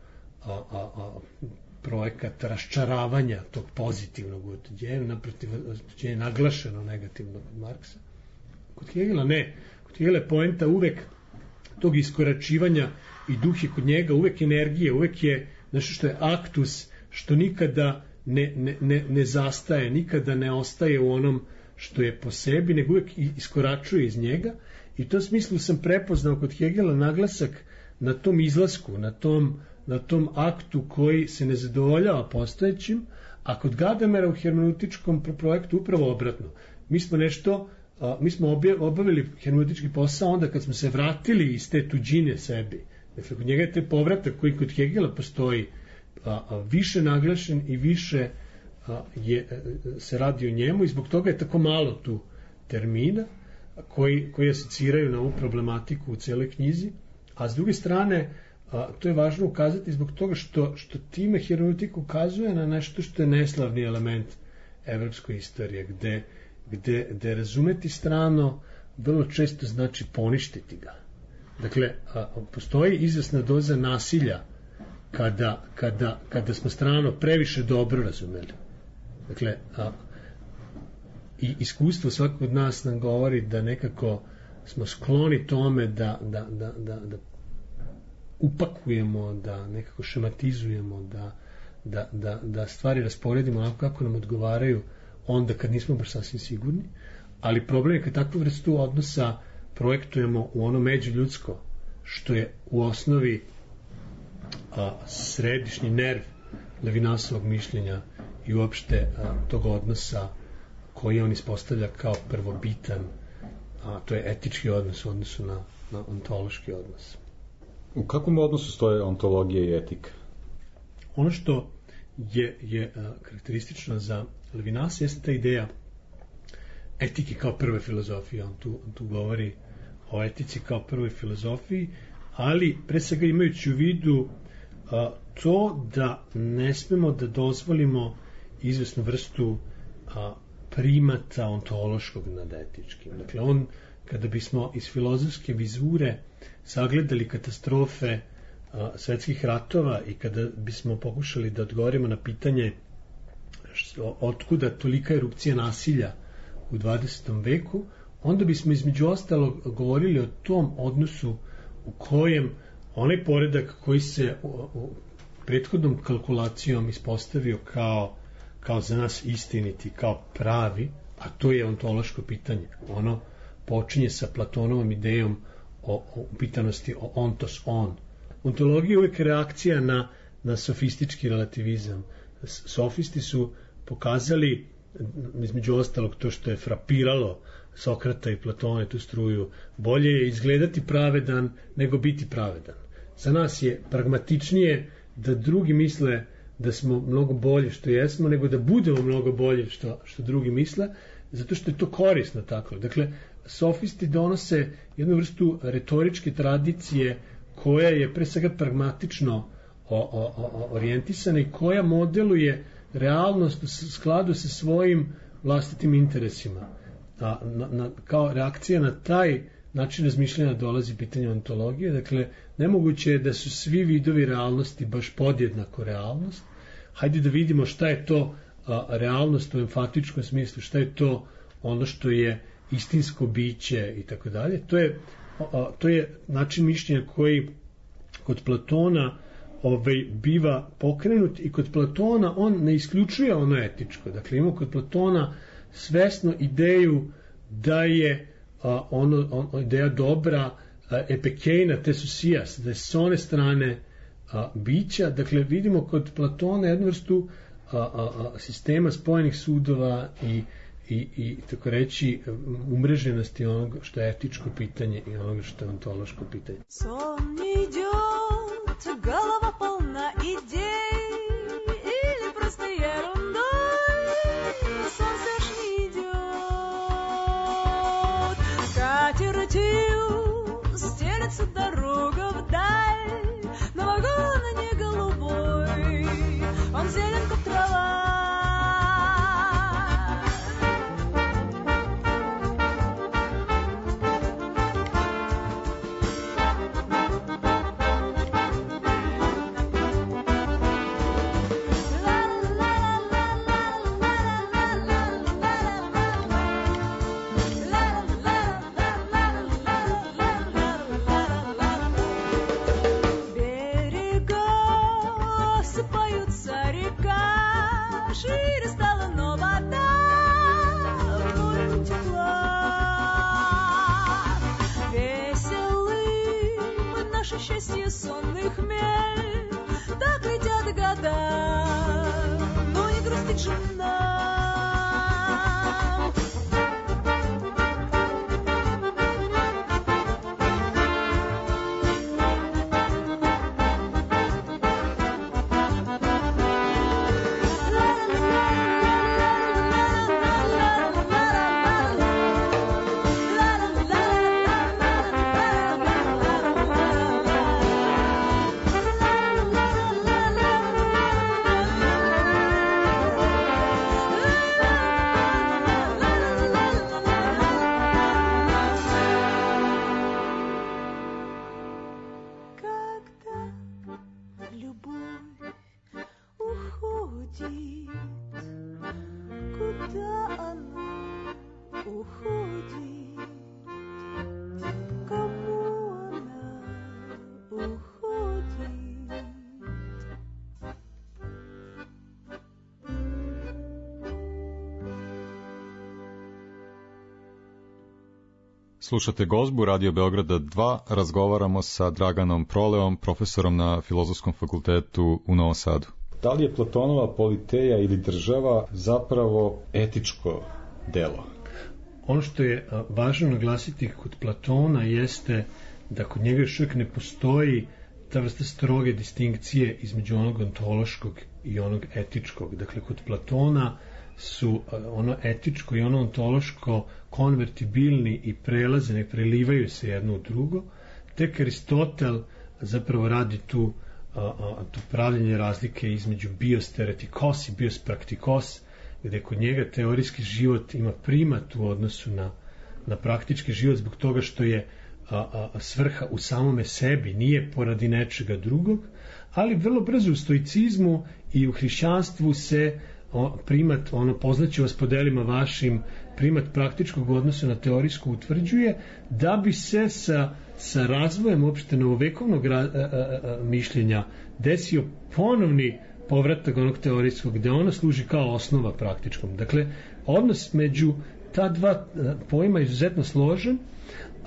a, a, a, projekat raščaravanja tog pozitivnog otuđenja, naprotiv otuđenja naglašeno negativno od Marksa. Kod Hegela ne, kod Hegela je poenta uvek tog iskoračivanja i duh je kod njega uvek energije, uvek je nešto što je aktus, što nikada ne, ne, ne, ne zastaje, nikada ne ostaje u onom što je po sebi, nego uvek iskoračuje iz njega. I u tom smislu sam prepoznao kod Hegela naglasak na tom izlasku, na tom, na tom aktu koji se ne zadovoljava postojećim, a kod Gadamera u hermeneutičkom projektu upravo obratno. Mi smo nešto, a, mi smo obavili hermeneutički posao onda kad smo se vratili iz te tuđine sebi. Dakle, kod njega je te povratak koji kod Hegela postoji a, a, više naglašen i više a, je, se radi o njemu i zbog toga je tako malo tu termina koji, koji asociraju na ovu problematiku u celoj knjizi, a s druge strane a, to je važno ukazati zbog toga što, što time hermeneutika ukazuje na nešto što je neslavni element evropske istorije, gde, gde, gde razumeti strano vrlo često znači poništiti ga. Dakle, a, postoji izvesna doza nasilja kada, kada, kada smo strano previše dobro razumeli. Dakle, a, i iskustvo svakog od nas nam govori da nekako smo skloni tome da, da, da, da, da upakujemo, da nekako šematizujemo, da, da, da, da stvari rasporedimo onako kako nam odgovaraju onda kad nismo baš sasvim sigurni, ali problem je kad takvu vrstu odnosa projektujemo u ono međuljudsko, što je u osnovi a, središnji nerv Levinasovog mišljenja i uopšte a, tog odnosa koji on ispostavlja kao prvobitan, a to je etički odnos u odnosu na, na ontološki odnos. U kakvom odnosu stoje ontologija i etika? Ono što je, je a, karakteristično za Levinasa jeste ta ideja etike kao prve filozofije. On tu, on tu govori o etici kao prvoj filozofiji, ali pre svega imajući u vidu a, to da ne smemo da dozvolimo izvesnu vrstu a, primata ontološkog nad etičkim. Dakle, on, kada bismo iz filozofske vizure sagledali katastrofe a, svetskih ratova i kada bismo pokušali da odgovorimo na pitanje što, otkuda tolika erupcija nasilja u dvadesetom veku, onda bismo između ostalog govorili o tom odnosu u kojem onaj poredak koji se u, u prethodnom kalkulacijom ispostavio kao, kao za nas istiniti, kao pravi, a to je ontološko pitanje. Ono počinje sa Platonovom idejom o, o pitanosti o ontos on. Ontologija je uvek reakcija na, na sofistički relativizam. Sofisti su pokazali između ostalog to što je frapiralo Sokrata i Platona tu struju, bolje je izgledati pravedan nego biti pravedan. Za nas je pragmatičnije da drugi misle da smo mnogo bolje što jesmo, nego da budemo mnogo bolje što, što drugi misle, zato što je to korisno tako. Dakle, sofisti donose jednu vrstu retoričke tradicije koja je pre svega pragmatično o, o, o, orijentisana i koja modeluje realnost u skladu sa svojim vlastitim interesima. A, na, na, kao reakcija na taj način razmišljanja dolazi pitanje ontologije. Dakle, nemoguće je da su svi vidovi realnosti baš podjednako realnost. Hajde da vidimo šta je to a, realnost u emfatičkom smislu, šta je to ono što je istinsko biće i tako dalje. To je, a, to je način mišljenja koji kod Platona ovaj, biva pokrenut i kod Platona on ne isključuje ono etičko. Dakle, ima kod Platona svesno ideju da je a, ono, on, ideja dobra a, epekejna tesusijas, da je s one strane a, bića. Dakle, vidimo kod Platona jednu vrstu a, a, a, sistema spojenih sudova i, i, i tako reći umreženosti onoga što je etičko pitanje i onoga što je ontološko pitanje. Сон не идет, голова полна идей, или просто ерундой, солнце ж не идет. Скатертью стелется дорога вдаль, но вагон не голубой, он зелен, как трава. Счастье сонный хмель, так летят года, но не грустит же нам. Slušate Gozbu Radio Beograda dva, razgovaramo sa Draganom Proleom, profesorom na Filozofskom fakultetu u Novom Sadu. Da li je Platonova politeja ili država zapravo etičko delo? Ono što je važno naglasiti kod Platona jeste da kod njega još uvijek ne postoji ta vrsta stroge distinkcije između onog ontološkog i onog etičkog. Dakle, kod Platona su ono etičko i ono ontološko konvertibilni i prelaze, ne prelivaju se jedno u drugo. Tek Aristotel zapravo radi tu, a, a, tu pravljenje razlike između bios theoretikos i bios praktikos, gde kod njega teorijski život ima primat u odnosu na, na praktički život zbog toga što je a, a, svrha u samome sebi, nije poradi nečega drugog, ali vrlo brzo u stoicizmu i u hrišćanstvu se o, primat, ono, poznaću vas po delima vašim, primat praktičkog odnosa na teorijsku utvrđuje, da bi se sa, sa razvojem uopšte novovekovnog ra, a, a, a, mišljenja desio ponovni povratak onog teorijskog, gde ona služi kao osnova praktičkom. Dakle, odnos među ta dva a, pojma je izuzetno složen,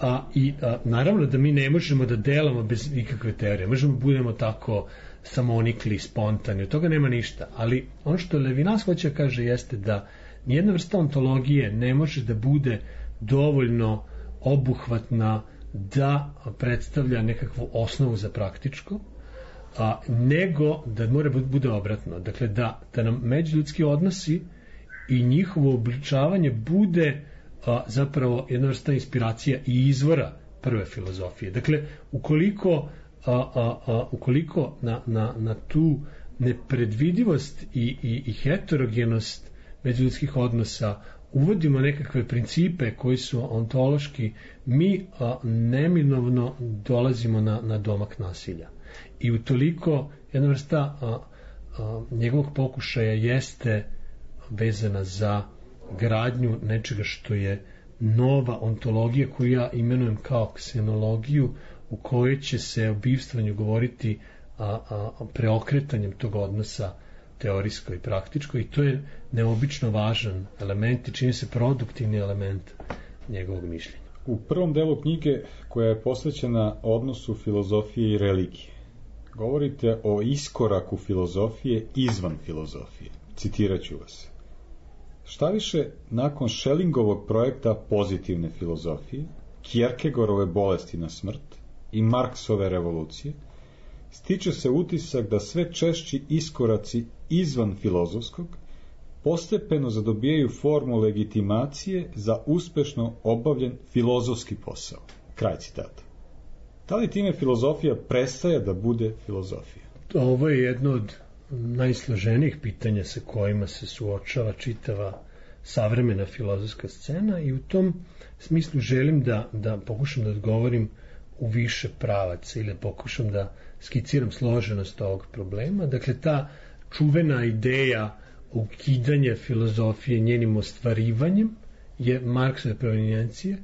a, i a, naravno da mi ne možemo da delamo bez ikakve teorije, možemo da budemo tako samonikli, spontani, od toga nema ništa, ali ono što Levinas hoće da kaže jeste da nijedna vrsta ontologije ne može da bude dovoljno obuhvatna da predstavlja nekakvu osnovu za praktičko, a, nego da mora bude obratno. Dakle, da, da nam međuljudski odnosi i njihovo obličavanje bude a, zapravo jedna vrsta inspiracija i izvora prve filozofije. Dakle, ukoliko A, a, a, ukoliko na, na, na tu nepredvidivost i, i, i heterogenost međuljudskih odnosa uvodimo nekakve principe koji su ontološki, mi a, neminovno dolazimo na, na domak nasilja. I utoliko jedna vrsta a, a, njegovog pokušaja jeste vezana za gradnju nečega što je nova ontologija koju ja imenujem kao ksenologiju, u kojoj će se o bivstvanju govoriti a, a, preokretanjem tog odnosa teorijsko i praktičko, i to je neobično važan element i čini se produktivni element njegovog mišljenja. U prvom delu knjige, koja je posvećena odnosu filozofije i religije, govorite o iskoraku filozofije izvan filozofije. Citirat ću vas. Šta više, nakon Schellingovog projekta pozitivne filozofije, Kierkegaardove bolesti na smrt i Marksove revolucije, stiče se utisak da sve češći iskoraci izvan filozofskog postepeno zadobijaju formu legitimacije za uspešno obavljen filozofski posao. Kraj citata. Da li time filozofija prestaje da bude filozofija? Ovo je jedno od najsloženijih pitanja sa kojima se suočava čitava savremena filozofska scena, i u tom smislu želim da, da pokušam da odgovorim u više pravaca ili pokušam da skiciram složenost ovog problema. Dakle, ta čuvena ideja ukidanja filozofije njenim ostvarivanjem je Marksove provenijencije,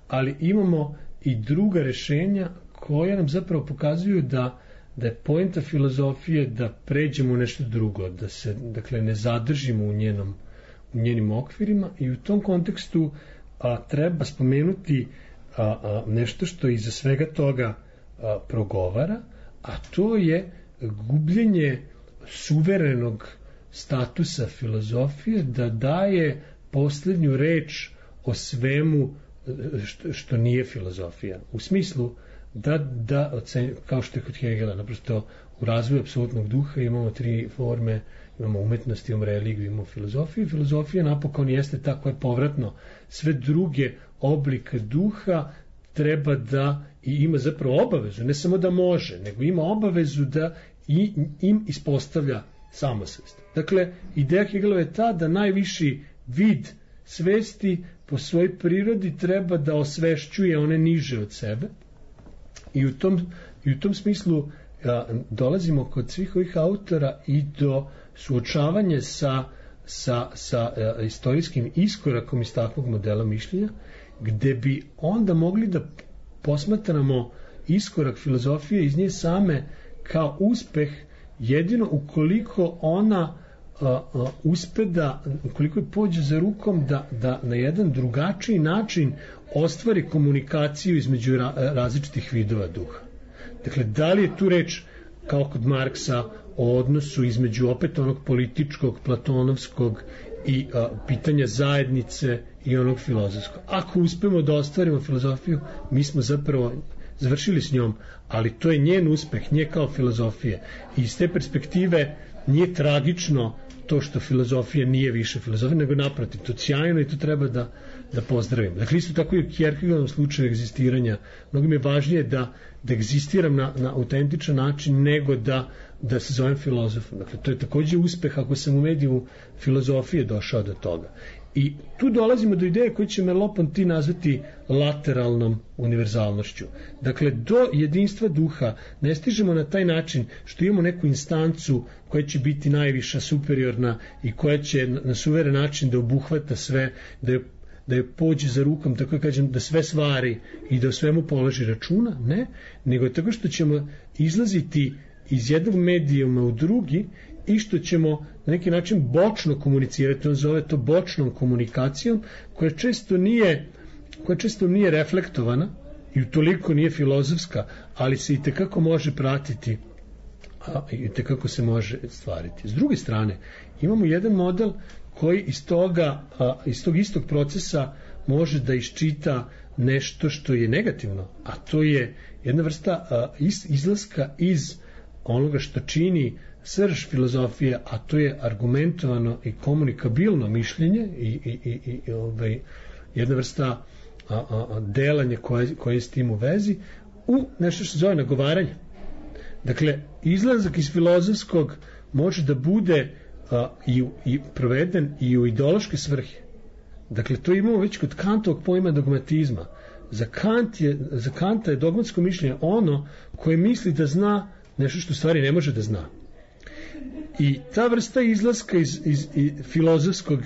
ali imamo i druga rešenja koja nam zapravo pokazuju da, da je poenta filozofije da pređemo u nešto drugo, da se, dakle, ne zadržimo u njenom, u njenim okvirima, i u tom kontekstu a, treba spomenuti a, a, nešto što iza svega toga a, progovara, a to je gubljenje suverenog statusa filozofije, da daje posljednju reč o svemu što, što nije filozofija. U smislu da, da ocen, kao što je kod Hegela, naprosto u razvoju apsolutnog duha imamo tri forme, imamo umetnost, imamo religiju, imamo filozofiju. Filozofija napokon jeste tako je povratno. Sve druge oblike duha treba da i ima zapravo obavezu, ne samo da može, nego ima obavezu da i, im ispostavlja samosvest. Dakle, ideja Hegelova je ta da najviši vid svesti po svojoj prirodi treba da osvešćuje one niže od sebe, i u tom, i u tom smislu a, dolazimo kod svih ovih autora i do suočavanja sa, sa, sa a, istorijskim iskorakom iz takvog modela mišljenja, gde bi onda mogli da posmatramo iskorak filozofije iz nje same kao uspeh jedino ukoliko ona a, a, uspe da, ukoliko pođe za rukom, da, da na jedan drugačiji način ostvari komunikaciju između ra, različitih vidova duha. Dakle, da li je tu reč, kao kod Marksa, o odnosu između opet onog političkog, platonovskog i a, pitanja zajednice i onog filozofskog. Ako uspemo da ostvarimo filozofiju, mi smo zapravo završili s njom, ali to je njen uspeh, nje kao filozofije. I iz te perspektive nije tragično to što filozofija nije više filozofija, nego naprotiv, to je sjajno i to treba da, da pozdravim. Dakle, isto tako i u Kierkegaardovom slučaju egzistiranja, mnogo mi je važnije da, da egzistiram na, na autentičan način nego da, da se zovem filozofom. Dakle, to je takođe uspeh ako sam u mediju filozofije došao do toga. I tu dolazimo do ideje koju će Merleau-Ponty nazvati lateralnom univerzalnošću. Dakle, do jedinstva duha ne stižemo na taj način što imamo neku instancu koja će biti najviša, superiorna i koja će na suveren način da obuhvata sve, da je, da je pođe za rukom, tako kažem, da sve stvari i da o svemu položi računa, ne, nego je tako što ćemo izlaziti iz jednog medijuma u drugi i što ćemo na neki način bočno komunicirati, on zove to bočnom komunikacijom, koja često nije, koja često nije reflektovana i utoliko nije filozofska, ali se i tekako može pratiti, a i tekako se može stvariti. S druge strane, imamo jedan model koji iz toga, a, iz tog istog procesa može da iščita nešto što je negativno, a to je jedna vrsta a, iz, izlaska iz onoga što čini srž filozofije, a to je argumentovano i komunikabilno mišljenje i, i, i, i ovaj, jedna vrsta a, a, delanja koje, koje je s tim u vezi, u nešto što se zove nagovaranje. Dakle, izlazak iz filozofskog može da bude a, i, i proveden i u ideološke svrhe. Dakle, to imamo već kod Kantovog pojma dogmatizma. Za, Kant je, za Kanta je dogmatsko mišljenje ono koje misli da zna nešto što stvari ne može da zna. I ta vrsta izlaska iz, iz, iz filozofskog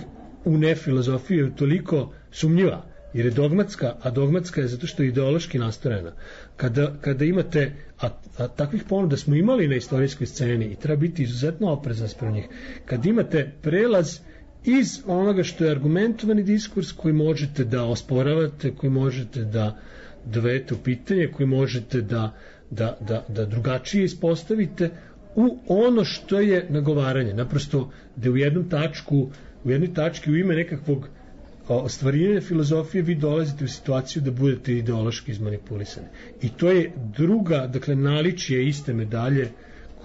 u nefilozofiju je toliko sumnjiva, jer je dogmatska, a dogmatska je zato što je ideološki nastrojena. Kada, kada imate, a, a takvih ponuda smo imali na istorijskoj sceni i treba biti izuzetno oprezan sprem njih, kad imate prelaz iz onoga što je argumentovani diskurs koji možete da osporavate, koji možete da dovedete u pitanje, koji možete da, da, da, da drugačije ispostavite, u ono što je nagovaranje. Naprosto da u jednom tačku, u jednoj tački u ime nekakvog ostvarivanja filozofije vi dolazite u situaciju da budete ideološki izmanipulisani. I to je druga, dakle, naličje iste medalje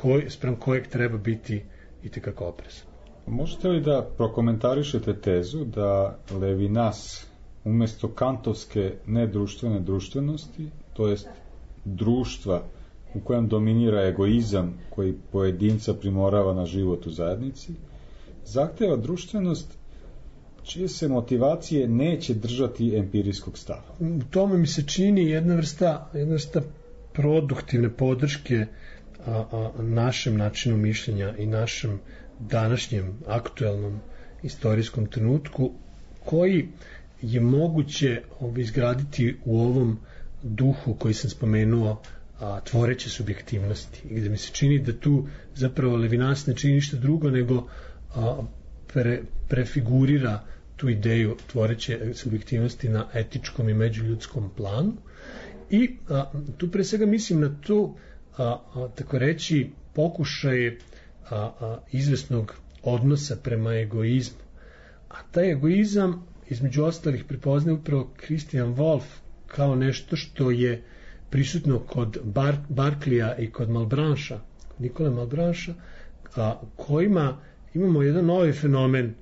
koj, sprem kojeg treba biti itekako oprezan. Možete li da prokomentarišete tezu da Levinas umesto kantovske nedruštvene društvenosti, to jest društva u kojem dominira egoizam koji pojedinca primorava na život u zajednici, zahteva društvenost čije se motivacije neće držati empirijskog stava? U tome mi se čini jedna vrsta, jedna vrsta produktivne podrške a, a, našem načinu mišljenja i našem današnjem aktuelnom istorijskom trenutku koji je moguće izgraditi u ovom duhu koji sam spomenuo, a, tvoreće subjektivnosti, gde mi se čini da tu zapravo Levinas ne čini ništa drugo nego a, pre, prefigurira tu ideju tvoreće subjektivnosti na etičkom i međuljudskom planu i a, tu pre svega mislim na to a, a, tako reći pokušaje a, a, izvesnog odnosa prema egoizmu, a taj egoizam između ostalih prepoznaje upravo Christian Wolff kao nešto što je prisutno kod Bar, Barclaya i kod Malebrancha, Nikole Malebrancha, a, kojima imamo jedan novi fenomen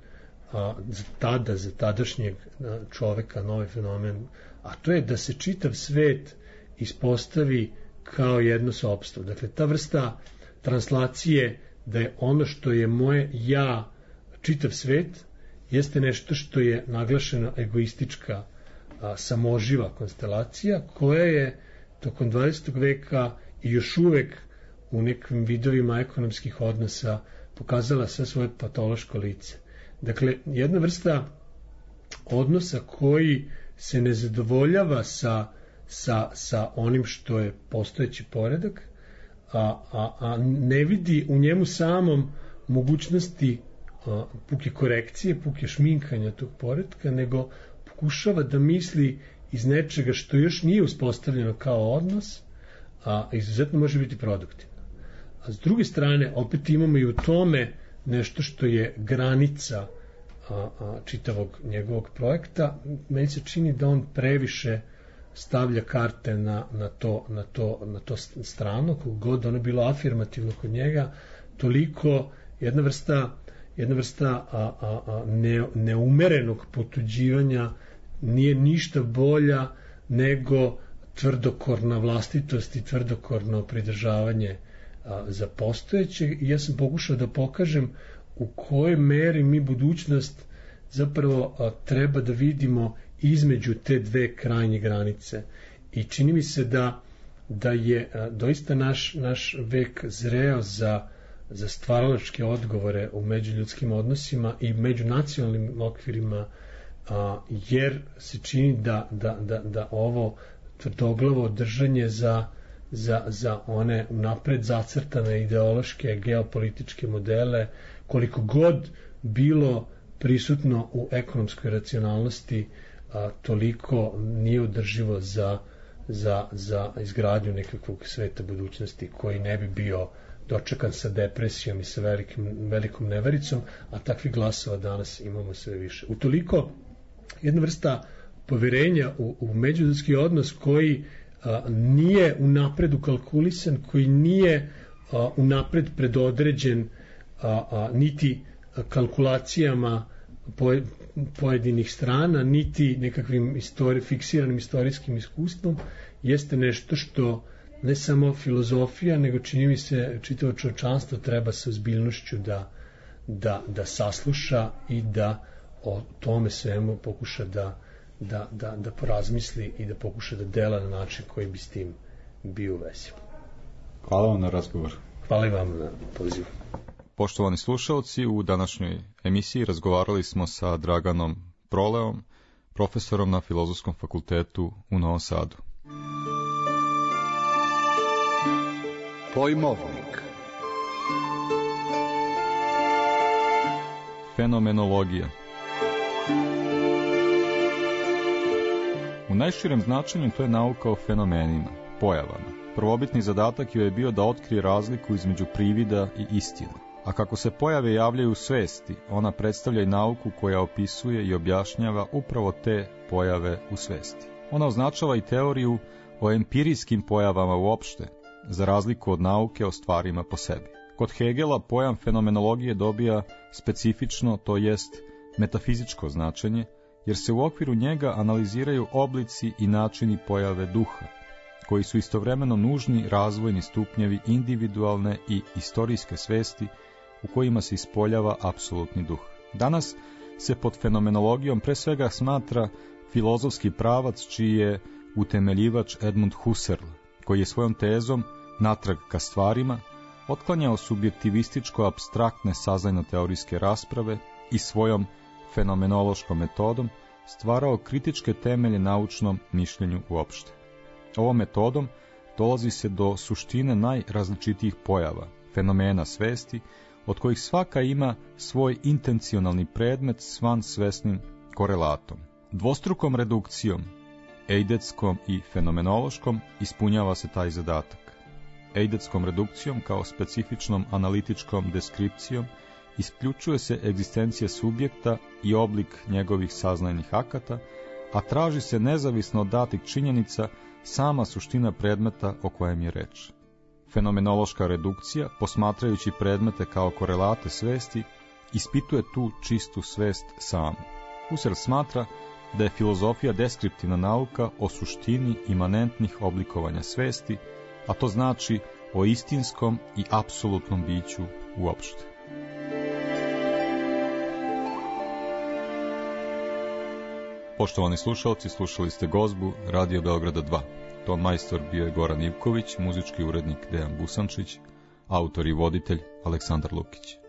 a, za tada, za tadašnjeg a, čoveka, novi fenomen, a to je da se čitav svet ispostavi kao jedno sopstvo. Dakle, ta vrsta translacije da je ono što je moje ja, čitav svet, jeste nešto što je naglašena egoistička a, samoživa konstelacija koja je tokom dvadesetog veka i još uvek u nekim vidovima ekonomskih odnosa pokazala sve svoje patološko lice. Dakle, jedna vrsta odnosa koji se ne zadovoljava sa, sa, sa onim što je postojeći poredak, a, a, a ne vidi u njemu samom mogućnosti a, puke korekcije, puke šminkanja tog poretka, nego pokušava da misli iz nečega što još nije uspostavljeno kao odnos, a izuzetno može biti produktivno. A s druge strane, opet imamo i u tome nešto što je granica a, a, čitavog njegovog projekta. Meni se čini da on previše stavlja karte na, na, to, na, to, na to strano, kog god ono bilo afirmativno kod njega, toliko jedna vrsta, jedna vrsta a, a, a, ne, neumerenog potuđivanja nije ništa bolja nego tvrdokorna vlastitost i tvrdokorno pridržavanje a, za postojeće. I ja sam pokušao da pokažem u kojoj meri mi budućnost zapravo a, treba da vidimo između te dve krajnje granice. I čini mi se da, da je a, doista naš, naš vek zreo za, za stvaralačke odgovore u međuljudskim odnosima i međunacionalnim okvirima, a, jer se čini da, da, da, da ovo tvrdoglavo držanje za, za, za one napred zacrtane ideološke geopolitičke modele, koliko god bilo prisutno u ekonomskoj racionalnosti, a, toliko nije održivo za, za, za izgradnju nekakvog sveta budućnosti koji ne bi bio dočekan sa depresijom i sa velikim, velikom nevericom, a takvih glasova danas imamo sve više. Utoliko jedna vrsta poverenja u, u međuljudski odnos koji a, nije unapred ukalkulisan, koji nije a, unapred predodređen a, a, niti kalkulacijama po, pojedinih strana, niti nekakvim istori, fiksiranim istorijskim iskustvom, jeste nešto što ne samo filozofija, nego čini mi se čitavo čovječanstvo treba sa ozbiljnošću da, da, da sasluša i da o tome svemu pokuša da, da, da, da porazmisli i da pokuša da dela na način koji bi s tim bio u vezi. Hvala vam na razgovor. Hvala i vam na pozivu. Poštovani slušalci, u današnjoj emisiji razgovarali smo sa Draganom Proleom, profesorom na Filozofskom fakultetu u Novom Sadu. Pojmovnik. Fenomenologija. U najširem značenju to je nauka o fenomenima, pojavama. Prvobitni zadatak joj je bio da otkrije razliku između privida i istine. A kako se pojave javljaju u svesti, ona predstavlja i nauku koja opisuje i objašnjava upravo te pojave u svesti. Ona označava i teoriju o empirijskim pojavama uopšte, za razliku od nauke o stvarima po sebi. Kod Hegela pojam fenomenologije dobija specifično, to jest metafizičko značenje, jer se u okviru njega analiziraju oblici i načini pojave duha, koji su istovremeno nužni razvojni stupnjevi individualne i istorijske svesti u kojima se ispoljava apsolutni duh. Danas se pod fenomenologijom pre svega smatra filozofski pravac čiji je utemeljivač Edmund Husserl, koji je svojom tezom natrag ka stvarima otklanjao subjektivističko-apstraktne saznajno-teorijske rasprave i svojom fenomenološkom metodom stvarao kritičke temelje naučnom mišljenju uopšte. Ovom metodom dolazi se do suštine najrazličitijih pojava, fenomena svesti, od kojih svaka ima svoj intencionalni predmet s vansvesnim korelatom. Dvostrukom redukcijom, eidetskom i fenomenološkom, ispunjava se taj zadatak. Eidetskom redukcijom kao specifičnom analitičkom deskripcijom isključuje se egzistencija subjekta i oblik njegovih saznajnih akata, a traži se nezavisno od datih činjenica sama suština predmeta o kojem je reč. Fenomenološka redukcija, posmatrajući predmete kao korelate svesti, ispituje tu čistu svest samu. Husserl smatra da je filozofija deskriptivna nauka o suštini imanentnih oblikovanja svesti, a to znači o istinskom i apsolutnom biću uopšte. Poštovani slušalci, slušali ste Gozbu Radio Beograda dva. Ton majstor bio je Goran Ivković, muzički urednik Dejan Busančić, autor i voditelj Aleksandar Lukić.